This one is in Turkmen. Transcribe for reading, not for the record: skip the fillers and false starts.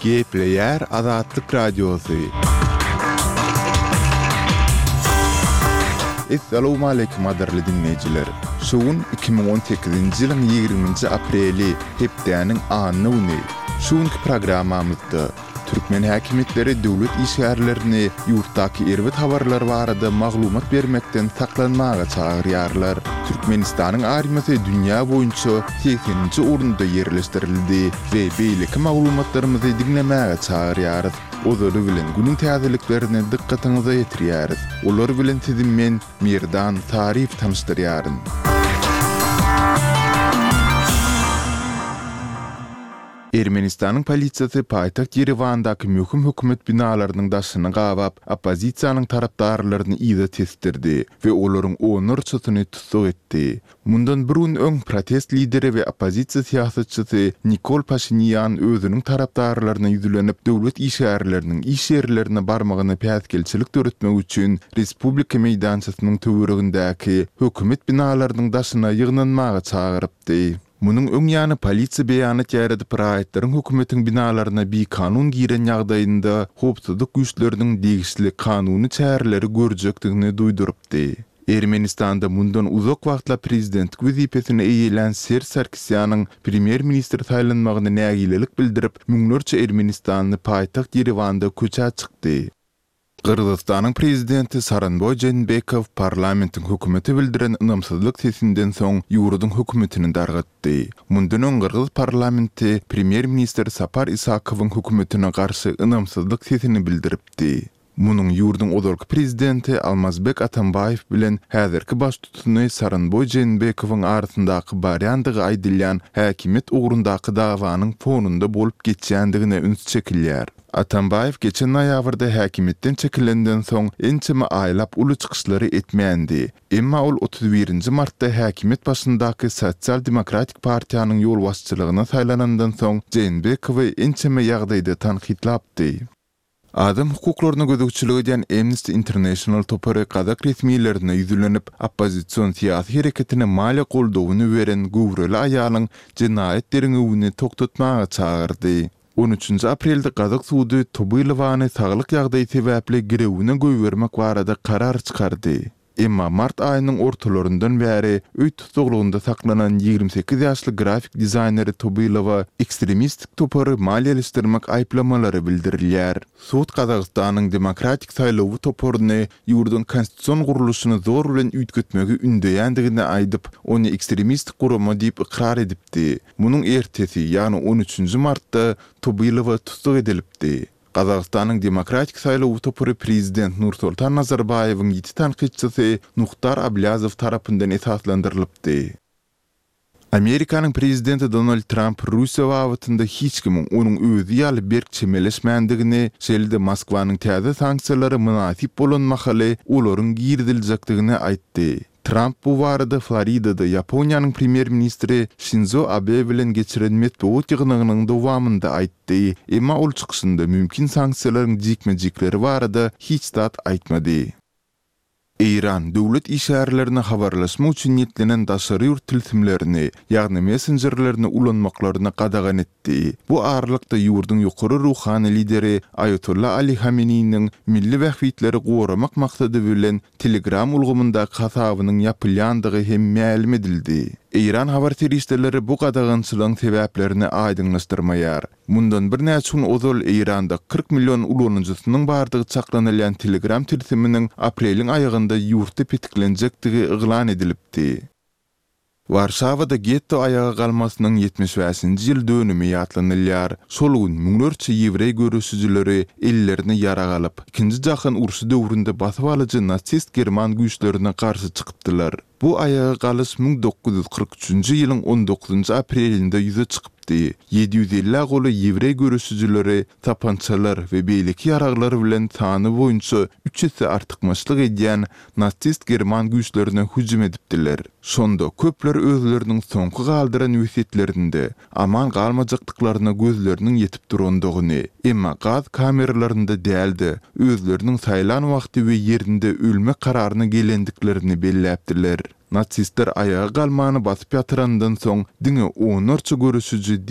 Gepleýär Azatlyk Radiosy. Essalawmaleýkim gadyrly diňleýjiler! Şu gün 2018-nji ýylyň ýigriminji apreli, hepdäniň anna güni. Şu günki programmamyzda. Türkmen häkimiýetleri döwlet işgärlerini ýurtdaky erbet habarlar barada maglumat bermekden saklanmaga çagyrýarlar. Türkmenistanyň armiýasy dünýä boýunça segseninji orunda ýerleşdirildi we beýleki maglumatlarymyzy diňlemäge çagyrýarys. Ozaly bilen günüň täzeliklerini dykgatyňyza ýetirýäris. Olar bilen sizi men, Merdan Saryýew tanyşdyrýaryn. Ermenistanyň polisiýasy paýtagt Ýerewandaky möhüm hökümet binalarynyň daşyny gabap, oppozisiýanyň tarapdarlaryny yza tesdirdi we olaryň onlarçasyny tussag etdi. Mundan bir gün öň protest lideri we oppozisiýa syýasatçysy Nikol Paşinýan özüniň tarapdarlaryna ýüzlenip, döwlet işgärleriniň iş ýerlerine barmagyna päsgelçilik döretmek üçin Respublika meýdançasynyň töweregindäki hökümet binalarynyň daşyna ýygnanmaga çagyrypdy. Munuň öň ýany polisiýa beýanat ýaýradyp raýatlaryň hökümetiň binalaryna bikanun giren ýagdaýynda howpsuzlyk güýçleriniň degişli kanuny çäreleri görjekdigini duýdurypdy. Ermenistanda mundan uzak wagtlap prezidentlik wezipesini eýelän Serž Sarkisýanyň premýer-ministr saýlanmagyna nägilelik bildirip, müňlerçe ermenistanly paýtagt Ýerewanda köçä çykdy. Gyrgyzystanyň prezidenti Sooronboý Jeenbekow parlamentiň hökümete bildiren ynamsyzlyk sesinden soň ýurduň hökümetini dargatdy. Mundan öň gyrgyz parlamenti premýer-ministr Sapar Isakowyň hökümetine garşy ynamsyzlyk sesini bildiripdi. Munuň ýurduň ozalky prezidenti Almazbek Atambaýew bilen häzirki baştutany Sooronboý Jeenbekowyň arasyndaky barýandygy aýdylýan häkimiýet ugrundaky dawanyň fonunda bolup geçýändigine üns çekilýär. Atambaýew geçen noýabrda häkimiýetden çekilenden soň ençeme aýlap uly çykyşlary etmändi. Emma ol 31 nji martda häkimiýet başyndaky Sosial demokratik partiýanyň ýolbaşçylygyna saýlanandan soň Jeenbekowy ençeme ýagdaýda tankytlapdy. Adam hukuklaryna gözegçilik edýän Amnesty International topary gazak resmilerine ýüzlenip, oppozision syýasy hereketine maliýe goldawyny beren göwreli aýalyň jenaýat derňewini togtatmaga çagyrdy. On üçünji aprelde gazak sudy Tobylowany saglyk ýagdaýy sebäpli girewine goýbermek barada karar çykardy. Emma mart aýynyň ortalaryndan bäri öý tussaglygynda saklanan 28 ýaşly grafik dizaýneri Tobylowa ekstremistik topary maliýeleşdirmek aýyplamalary bildirilýär. Sud Gazagystanyň Demokratik saýlawy toparyny ýurduň konstitusion gurluşyny zor bilen üýtgetmegi ündeýändigini aýdyp, ony ekstremistik gurama diýip ykrar edipdi. Munuň ertesi, ýagny on üçünji martda Tobylowa tussag edilipdi. Gazagystanyň Demokratik saýlawy topary prezident Nursoltan Nazarbaýewiň ýiti tankytçysy Muhtar Ablýazow tarapyndan esaslandyrylypdy. Amerikanyň prezidenti Donald Tramp Russiýa babatynda hiç kimiň onuň özi ýaly berk çemeleşmändigini, şeýle-de Moskwanyň täze sanksiýalara mynasyp bolan mahaly olaryň giriziljekdigini aýtdy. Tramp bu barada Floridada Ýaponiýanyň premýer-ministri Şinzo Abe bilen geçiren metbugat ýygnagynyň dowamynda aýtdy. Emma ol çykyşynda mümkin sanksiýalaryň jikme-jikleri barada hiç zat aýtmady. Eýran döwlet işgärlerine habarlaşmak üçin niýetlenen daşary ýurt tilsimlerini, ýagny messenjerlerini ulanmaklaryny gadagan etdi. Etdi. Bu aralykda ýurduň ýokary ruhany lideri Aýatolla Ali Hameneýiniň milli bähbitleri goramak maksady bilen Telegram ulgamyndaky hasabynyň ýapylýandygy hem mälim edildi. Eýran habar serişdeleri bu gadagançylygyň sebäplerini aýdyňlaşdyrmaýar. Mundan birnäçe gün ozal Eýranda 40 million ulanyjysynyň bardygy çaklanylýan Telegram tilsiminiň apreliň aýagynda ýurtda petiklenjekdigi yglan edilipdi. Warşawada getto aýaga galmasynyň 75-nji ýyl dönümi ýatlanylýar. Şol gün müňlerçe ýewreý göreşijileri ellerine ýarag alyp, Ikinji jahan urşy döwründe basybalyjy nasist german güýçlerine garşy çykypdylar. Bu aýaga galyş 1943-nji ýylyň on dokuzynjy aprelinde ýüze çykypdy. 750-ä golaý ýewreý göreşijileri sapançalar we beýleki ýaraglar bilen sany boýunça üç esse artykmaçlyk edýän nasist german güýçlerine hüjüm edipdiler. Şonda köpler özleriniň soňky galdyran wesýetlerinde aman galmajakdyklaryna gözleriniň ýetip durandygyny, emma gaz kameralarynda däl-de, özleriniň saýlan wagty we ýerinde ölmek kararyna gelendiklerini belläpdiler. Nasistler aýaga galmany basyp ýatyrandan soň diňe onlarça göreşiji.